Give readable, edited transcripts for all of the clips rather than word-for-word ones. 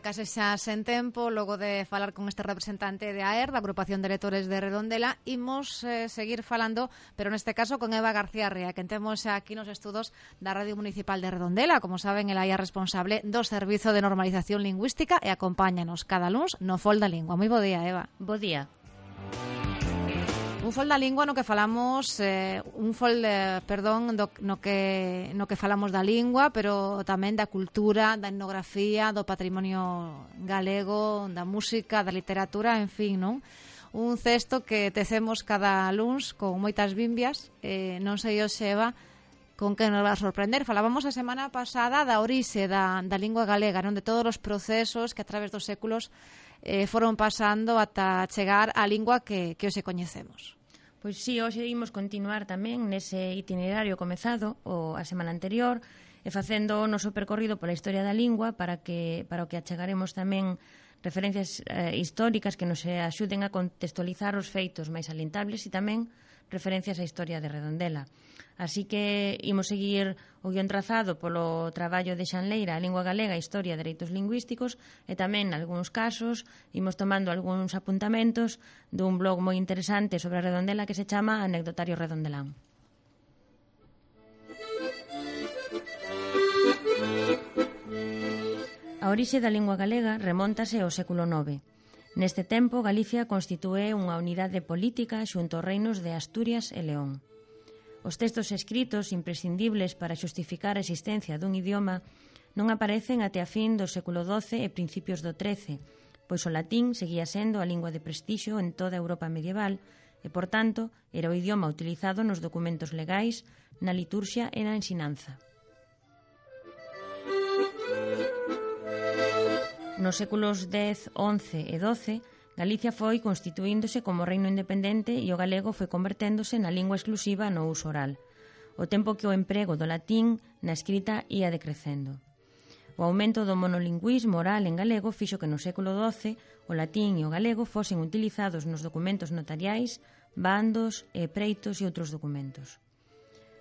case xa sen tempo, logo de falar con este representante de AER, da Agrupación de Lectores de Redondela, imos seguir falando, pero neste caso con Eva García Rea, que temos aquí nos estudos da Radio Municipal de Redondela. Como saben, ela é responsable do Servizo de Normalización Lingüística e acompáñanos cada luns no Fol da Lingua. Moi bo día, Eva. Bo día. Un fol da lingua no que falamos no que falamos da lingua, pero tamén da cultura, da etnografía, do patrimonio galego, da música, da literatura, en fin, non? Un cesto que tecemos cada luns con moitas bimbias, non sei hoxe, Eva, con que nos va a sorprender. Falábamos a semana pasada da orixe da lingua galega, non, de todos os procesos que a través dos séculos foron pasando ata chegar á lingua que hoxe coñecemos. Pois sí, hoxe imos continuar tamén nese itinerario comezado a semana anterior e facendo o noso percorrido pola historia da lingua para o que achegaremos tamén referencias históricas que nos axuden a contextualizar os feitos máis salientables e tamén referencias á historia de Redondela. Así que imos seguir o guión trazado polo traballo de Xanleira, a lingua galega, historia e dereitos lingüísticos, e tamén, nalgúns casos, imos tomando algúns apuntamentos dun blog moi interesante sobre a Redondela que se chama Anecdotario Redondelán. A orixe da lingua galega remóntase ao século IX. Neste tempo, Galicia constitúe unha unidade política xunto aos reinos de Asturias e León. Os textos escritos imprescindibles para xustificar a existencia dun idioma non aparecen até a fin do século XII e principios do XIII, pois o latín seguía sendo a lingua de prestixio en toda a Europa medieval e, por tanto, era o idioma utilizado nos documentos legais, na liturxia e na ensinanza. Nos séculos X, XI e XII, Galicia foi constituíndose como reino independente e o galego foi converténdose na lingua exclusiva no uso oral, o tempo que o emprego do latín na escrita ia decrecendo. O aumento do monolingüismo oral en galego fixo que no século XII o latín e o galego fosen utilizados nos documentos notariais, bandos e preitos e outros documentos.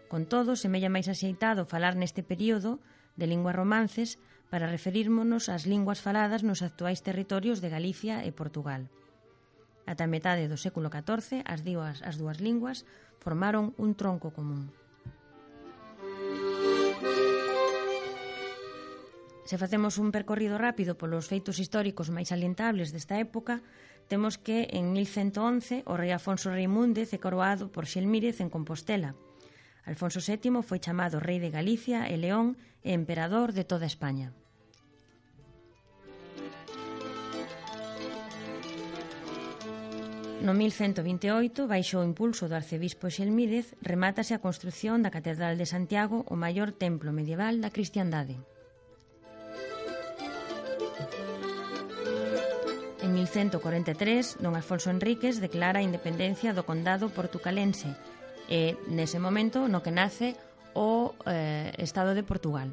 Con todo, semella máis axeitado falar neste período de linguas romances para referírmonos ás linguas faladas nos actuais territorios de Galicia e Portugal. Ata a metade do século XIV, as dúas linguas formaron un tronco común. Se facemos un percorrido rápido polos feitos históricos máis salientables desta época, temos que en 1111 o rei Afonso Reimúndez é coroado por Xelmírez en Compostela. Alfonso VII foi chamado rei de Galicia e León e emperador de toda España. No 1128, baixo o impulso do arcebispo Xelmírez, remátase a construción da Catedral de Santiago, o maior templo medieval da cristiandade. En 1143, don Alfonso Enríquez declara a independencia do condado portucalense e, nese momento, no que nace o Estado de Portugal.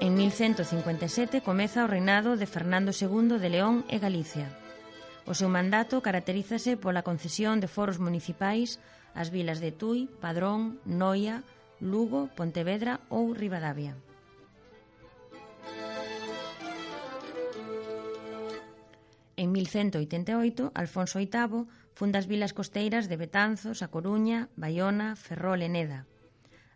En 1157 comeza o reinado de Fernando II de León e Galicia. O seu mandato caracterízase pola concesión de foros municipais ás vilas de Tui, Padrón, Noia, Lugo, Pontevedra ou Ribadavia. En 1188, Alfonso VIII funda as vilas costeiras de Betanzos, A Coruña, Baiona, Ferrol e Neda.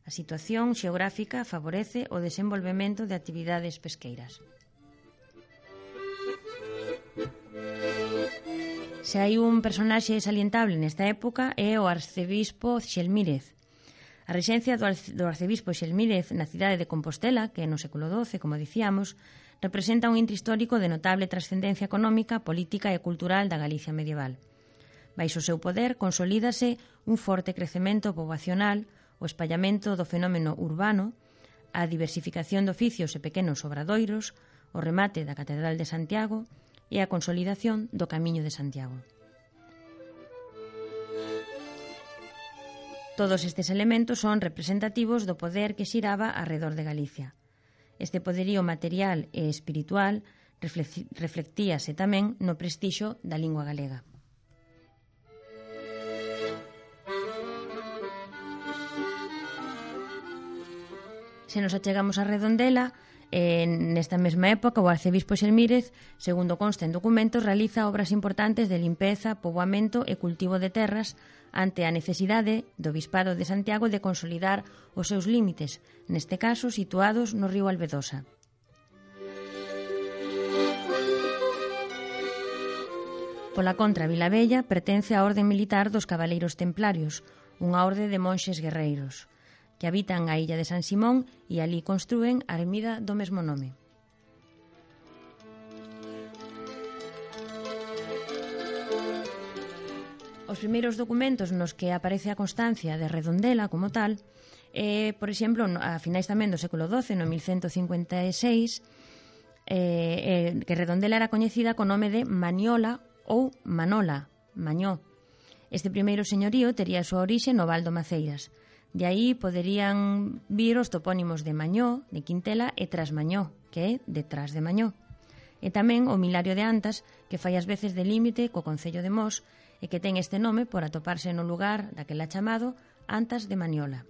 A situación xeográfica favorece o desenvolvemento de actividades pesqueiras. Se hai un personaxe salientable nesta época é o arcebispo Xelmírez. A rexencia do arcebispo Xelmírez na cidade de Compostela, que no século XII, como dicíamos, representa un intre histórico de notable trascendencia económica, política e cultural da Galicia medieval. Baixo o seu poder consolídase un forte crecemento poboacional, o espallamento do fenómeno urbano, a diversificación de oficios e pequenos obradoiros, o remate da Catedral de Santiago e a consolidación do Camiño de Santiago. Todos estes elementos son representativos do poder que xiraba arredor de Galicia. Este poderío material e espiritual reflectíase tamén no prestixio da lingua galega. Se nos achegamos a Redondela, nesta mesma época, o arcebispo Xelmírez, segundo consta en documentos, realiza obras importantes de limpeza, poboamento e cultivo de terras ante a necesidade do Bispado de Santiago de consolidar os seus límites, neste caso situados no río Albedosa. Pola contra, Vilabella pertence á orde militar dos Cabaleiros Templarios, unha orde de monxes guerreiros, que habitan a illa de San Simón e ali construen a ermida do mesmo nome. Os primeiros documentos nos que aparece a constancia de Redondela como tal por exemplo, a finais tamén do século XII, no 1156, que Redondela era coñecida co nome de Maniola ou Manola, Mañó. Este primeiro señorío tería a súa orixe no Val do Maceiras. De aí poderían vir os topónimos de Mañó, de Quintela, e Trasmañó, que é detrás de Mañó. E tamén o Milario de Antas, que fai as veces de límite co concello de Mos e que ten este nome por atoparse no lugar daquela chamado Antas de Maniola.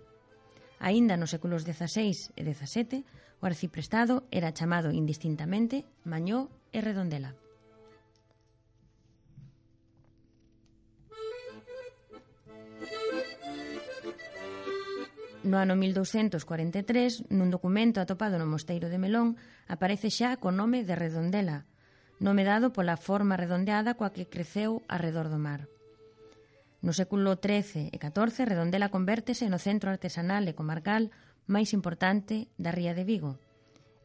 Aínda nos séculos XVI e XVII, o arciprestado era chamado indistintamente Mañó e Redondela. No ano 1243, nun documento atopado no mosteiro de Melón, aparece xa co nome de Redondela, nome dado pola forma redondeada coa que creceu arredor do mar. No século XIII e XIV, Redondela convértese no centro artesanal e comarcal máis importante da ría de Vigo.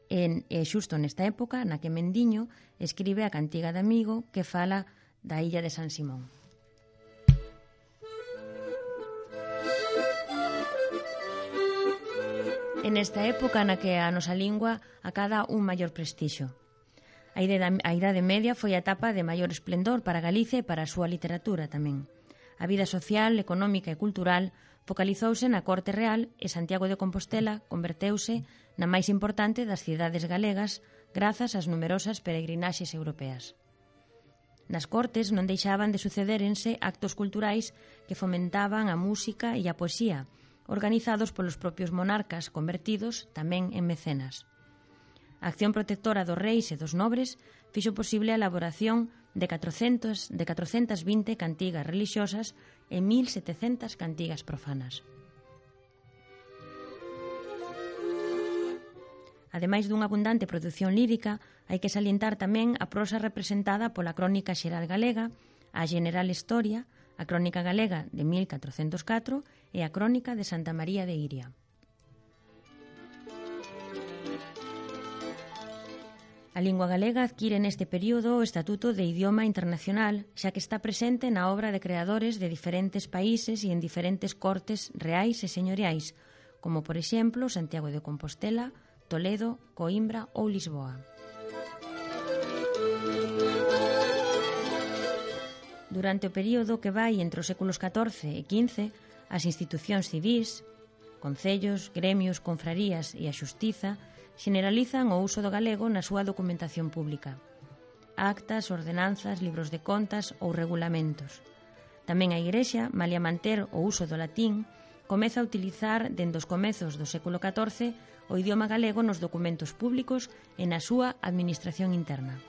E xusto nesta época na que Mendiño escribe a Cantiga de Amigo que fala da illa de San Simón. En esta época na que a nosa lingua acada un maior prestixio. A Idade Media foi a etapa de maior esplendor para Galicia e para a súa literatura tamén. A vida social, económica e cultural focalizouse na corte real e Santiago de Compostela converteuse na máis importante das cidades galegas grazas ás numerosas peregrinaxes europeas. Nas cortes non deixaban de sucedérense actos culturais que fomentaban a música e a poesía, organizados polos propios monarcas convertidos tamén en mecenas. A acción protectora dos reis e dos nobres fixo posible a elaboración de 420 cantigas religiosas e 1700 cantigas profanas. Ademais dunha abundante produción lírica, hai que salientar tamén a prosa representada pola Crónica Xeral Galega, a General Historia, a Crónica Galega de 1404 e a Crónica de Santa María de Iria. A lingua galega adquire neste período o estatuto de idioma internacional, xa que está presente na obra de creadores de diferentes países e en diferentes cortes reais e señoriais, como por exemplo Santiago de Compostela, Toledo, Coimbra ou Lisboa. Durante o período que vai entre os séculos XIV e XV, as institucións civís, concellos, gremios, confrarías e a xustiza xeneralizan o uso do galego na súa documentación pública. Actas, ordenanzas, libros de contas ou regulamentos. Tamén a Igrexa, malia manter o uso do latín, comeza a utilizar dende os comezos do século XIV o idioma galego nos documentos públicos e na súa administración interna.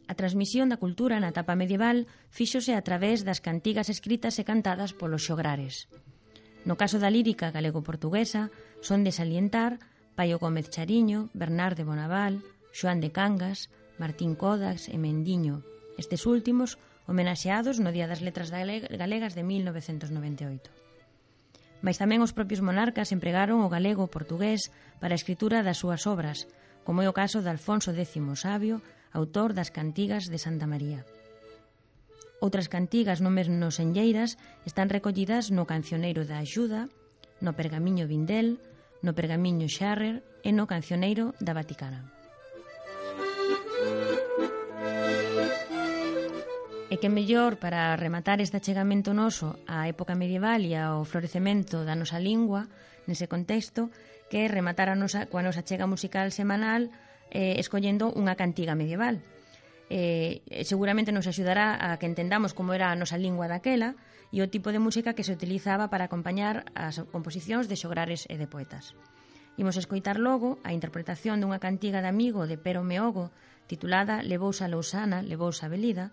A transmisión da cultura na etapa medieval fíxose a través das cantigas escritas e cantadas polos xograres. No caso da lírica galego-portuguesa, son de salientar Paio Gómez Chariño, Bernard de Bonaval, Xoán de Cangas, Martín Codax e Mendiño, estes últimos homenaxeados no Día das Letras Galegas de 1998. Mais tamén os propios monarcas empregaron o galego-portugués para a escritura das súas obras, como é o caso de Alfonso X Sabio, autor das Cantigas de Santa María. Outras cantigas non menos enlleiras están recollidas no Cancioneiro da Axuda, no Pergamiño Vindel, no Pergamiño Xarrer e no Cancioneiro da Vaticana. E que mellor para rematar este achegamento noso á época medieval e ao florecemento da nosa lingua nese contexto que rematar coa nosa achega musical semanal escollendo unha cantiga medieval. Seguramente nos axudará a que entendamos como era a nosa lingua daquela e o tipo de música que se utilizaba para acompañar as composicións de xograres e de poetas. Imos escoitar logo a interpretación dunha cantiga de amigo de Pero Meogo titulada Levouse a Lousana, levouse a Belida,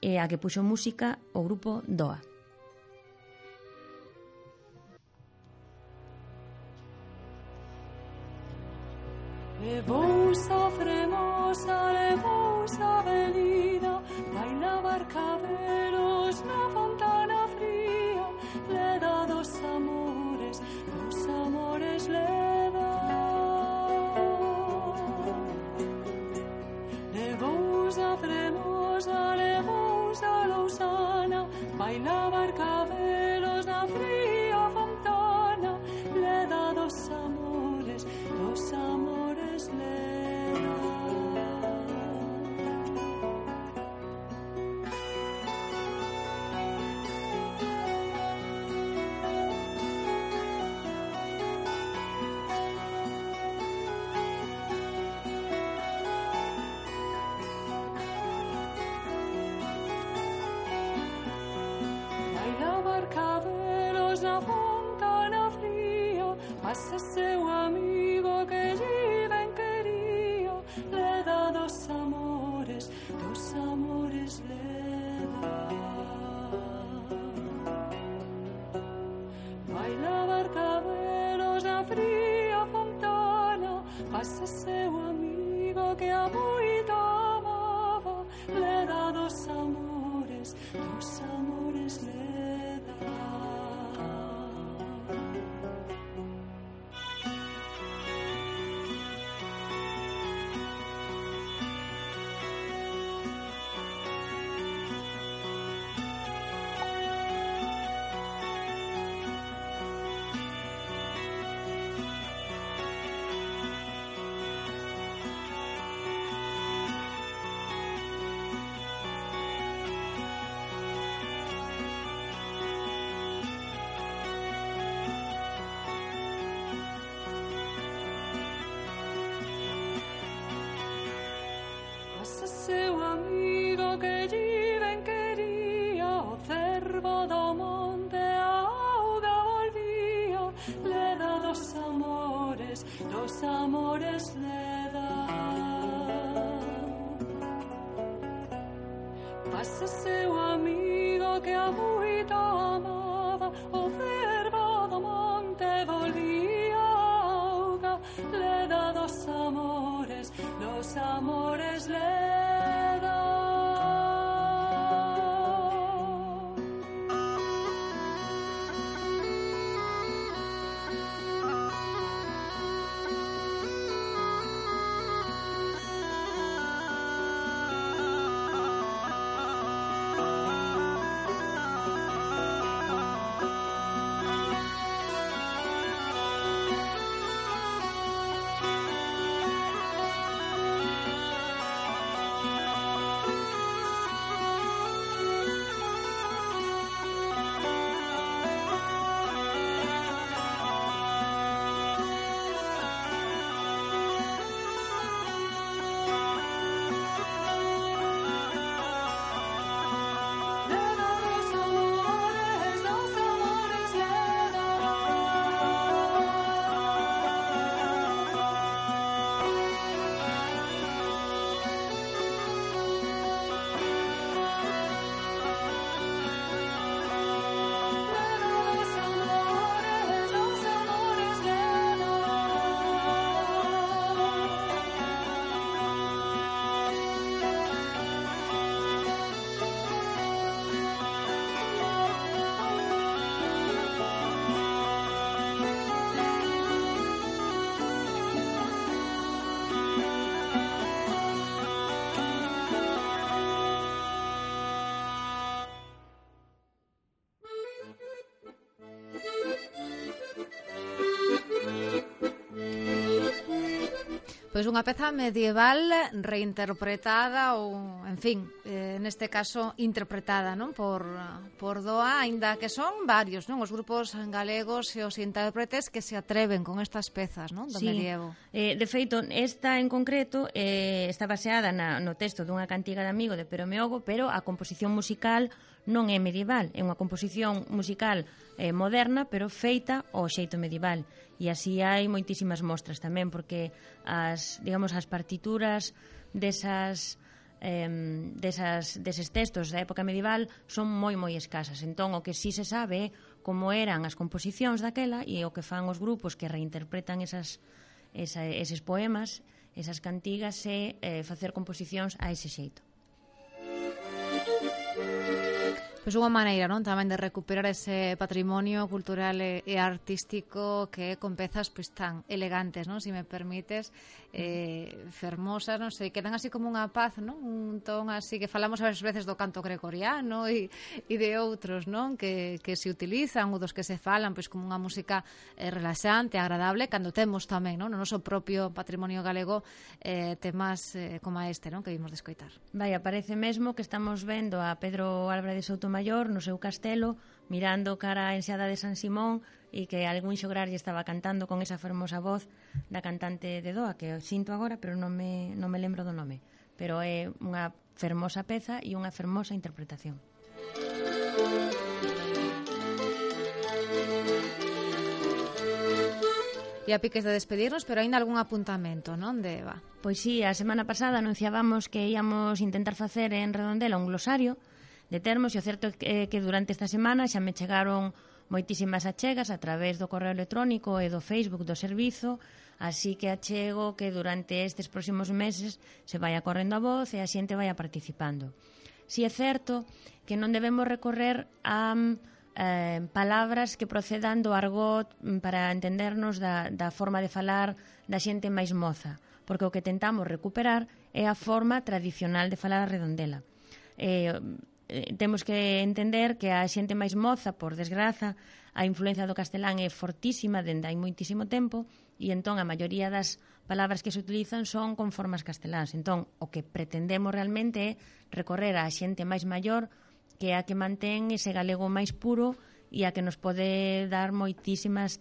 e a que puxo música o grupo Doa. Levousa fremosa, levousa belida, baila barcaderos na fontana fría, le da dos amores le da. Levousa fremosa, levousa lousana, baila barcaderos na fría fontana, le da dos amores le da. Baila barcaderos na fontana fría, pasa seu amigo que lle ben quería, le da dos amores le da. Baila barcaderos na fría fontana, pasa seu amigo que a moito amaba, le da dos amores le da. Pasa seu amigo que lle ben quería, o cervo do monte a auga volvía, le da dos amores le da. Pasa seu amigo que a moito amaba, o cervo do monte volvía a auga, le da dos amores le da. Pois unha peza medieval reinterpretada ou, en fin, neste caso interpretada, non, por Doa, aínda que son varios, non, os grupos galegos e os intérpretes que se atreven con estas pezas, non, do medievo. De feito, esta en concreto está baseada no texto dunha cantiga de amigo de Pero Meogo, pero a composición musical non é medieval, é unha composición musical moderna, pero feita ao xeito medieval. E así hai moitísimas mostras tamén, porque as partituras deses textos da época medieval son moi escasas. Entón, o que sí se sabe é como eran as composicións daquela e o que fan os grupos que reinterpretan eses poemas, esas cantigas, e facer composicións a ese xeito. Pois unha maneira, non, tamén de recuperar ese patrimonio cultural e artístico que con pezas pois tan elegantes, non, se me permites, fermosas, non sei, quedan así como unha paz, non, un ton así que falamos a veces do canto gregoriano e de outros, non, que se utilizan ou dos que se falan pois como unha música relaxante, agradable, cando temos tamén, non, no noso propio patrimonio galego temas como este, non, que vimos de escoitar. Vai, aparece mesmo que estamos vendo a Pedro Álvarez de Soutomaior no seu castelo, mirando cara a enseada de San Simón, e que algún xograr lle estaba cantando con esa fermosa voz da cantante de Doa, que sinto agora, pero non me lembro do nome. Pero é unha fermosa peza e unha fermosa interpretación. E a piques de despedirnos, pero aínda algún apuntamento, non, de Eva? Pois sí, a semana pasada anunciábamos que íamos intentar facer en Redondela un glosario de termos, e o certo é que durante esta semana xa me chegaron moitísimas achegas a través do correo electrónico e do Facebook do servizo, así que achego que durante estes próximos meses se vai correndo a voz e a xente vai participando. Si é certo que non debemos recorrer a palabras que procedan do argot para entendernos da forma de falar da xente máis moza, porque o que tentamos recuperar é a forma tradicional de falar a Redondela. Temos que entender que a xente máis moza, por desgraza, a influencia do castelán é fortísima dende hai moitísimo tempo, e entón a maioría das palabras que se utilizan son con formas casteláns. Entón, o que pretendemos realmente é recorrer a xente máis maior, que é a que mantén ese galego máis puro e a que nos pode traer moitísimas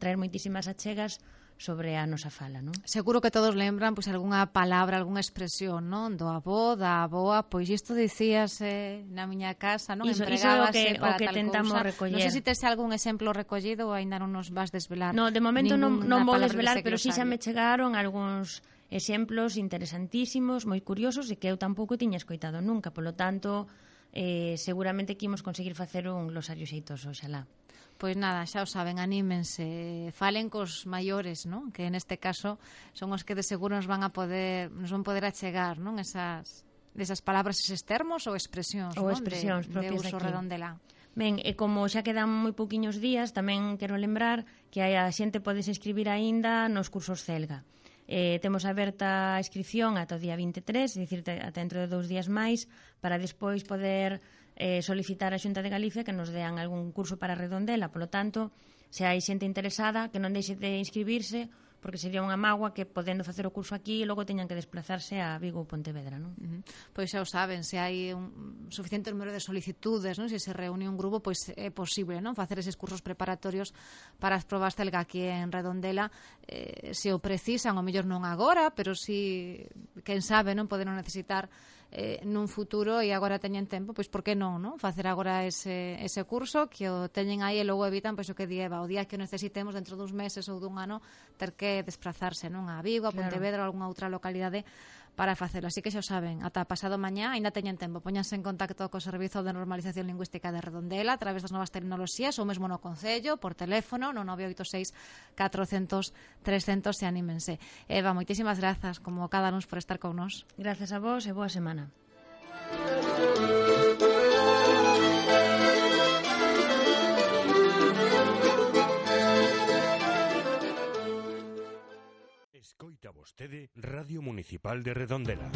achegas sobre a nosa fala, non? Seguro que todos lembran pois algunha palabra, algunha expresión, non? Do avó, da aboa, pois isto dicíase na miña casa, non? Empregábase para tal tentamos cousa. Recoller. Non sei se tes algún exemplo recollido ou aínda non nos vas desvelar. No, de momento non vou desvelar, pero si xa me chegaron algúns exemplos interesantísimos, moi curiosos, e que eu tampouco tiña escoitado nunca, polo tanto, seguramente que imos conseguir facer un glosario xeitoso, oxalá. Pois nada, xa o saben, anímense, falen cos maiores, non? Que neste caso son os que de seguro nos van poder achegar, non? Esas palabras, eses termos ou expresións, ou non? Expresións propias de uso Redondela. Ben, e como xa quedan moi pouquiños días, tamén quero lembrar que a xente podes escribir aínda nos cursos Celga. Temos aberta a inscripción ata o día 23, é dicir, ata dentro de 2 días máis, para despois poder solicitar a Xunta de Galicia que nos dean algún curso para Redondela. Polo tanto, se hai xente interesada, que non deixe de inscribirse, porque sería unha mágoa que podendo facer o curso aquí e logo teñan que desplazarse a Vigo ou Pontevedra, non? Pois xa o saben, se hai un suficiente número de solicitudes, non? Se se reúne un grupo, pois é posible, non? Facer eses cursos preparatorios para as probas Celga aquí en Redondela, se o precisan, o mellor non agora, pero si, quen sabe, non poden necesitar nun futuro e agora teñen tempo, pois por que non, non? Facer agora ese curso, que o teñen aí e logo evitan, pois o que dieva, o día que o necesitemos dentro duns meses ou dun ano, ter que desplazarse, non? A Vigo, a Pontevedra ou algunha outra localidade para facelo. Así que xa o saben, ata pasado mañá aínda teñen tempo. Póñanse en contacto co Servizo de Normalización Lingüística de Redondela a través das novas tecnoloxías ou mesmo no Concello, por teléfono, no 986 400 300 e anímense. Eva, moitísimas grazas, como cada nos por estar con nós. Grazas a vos e boa semana. Escoita vostede Radio Municipal de Redondela.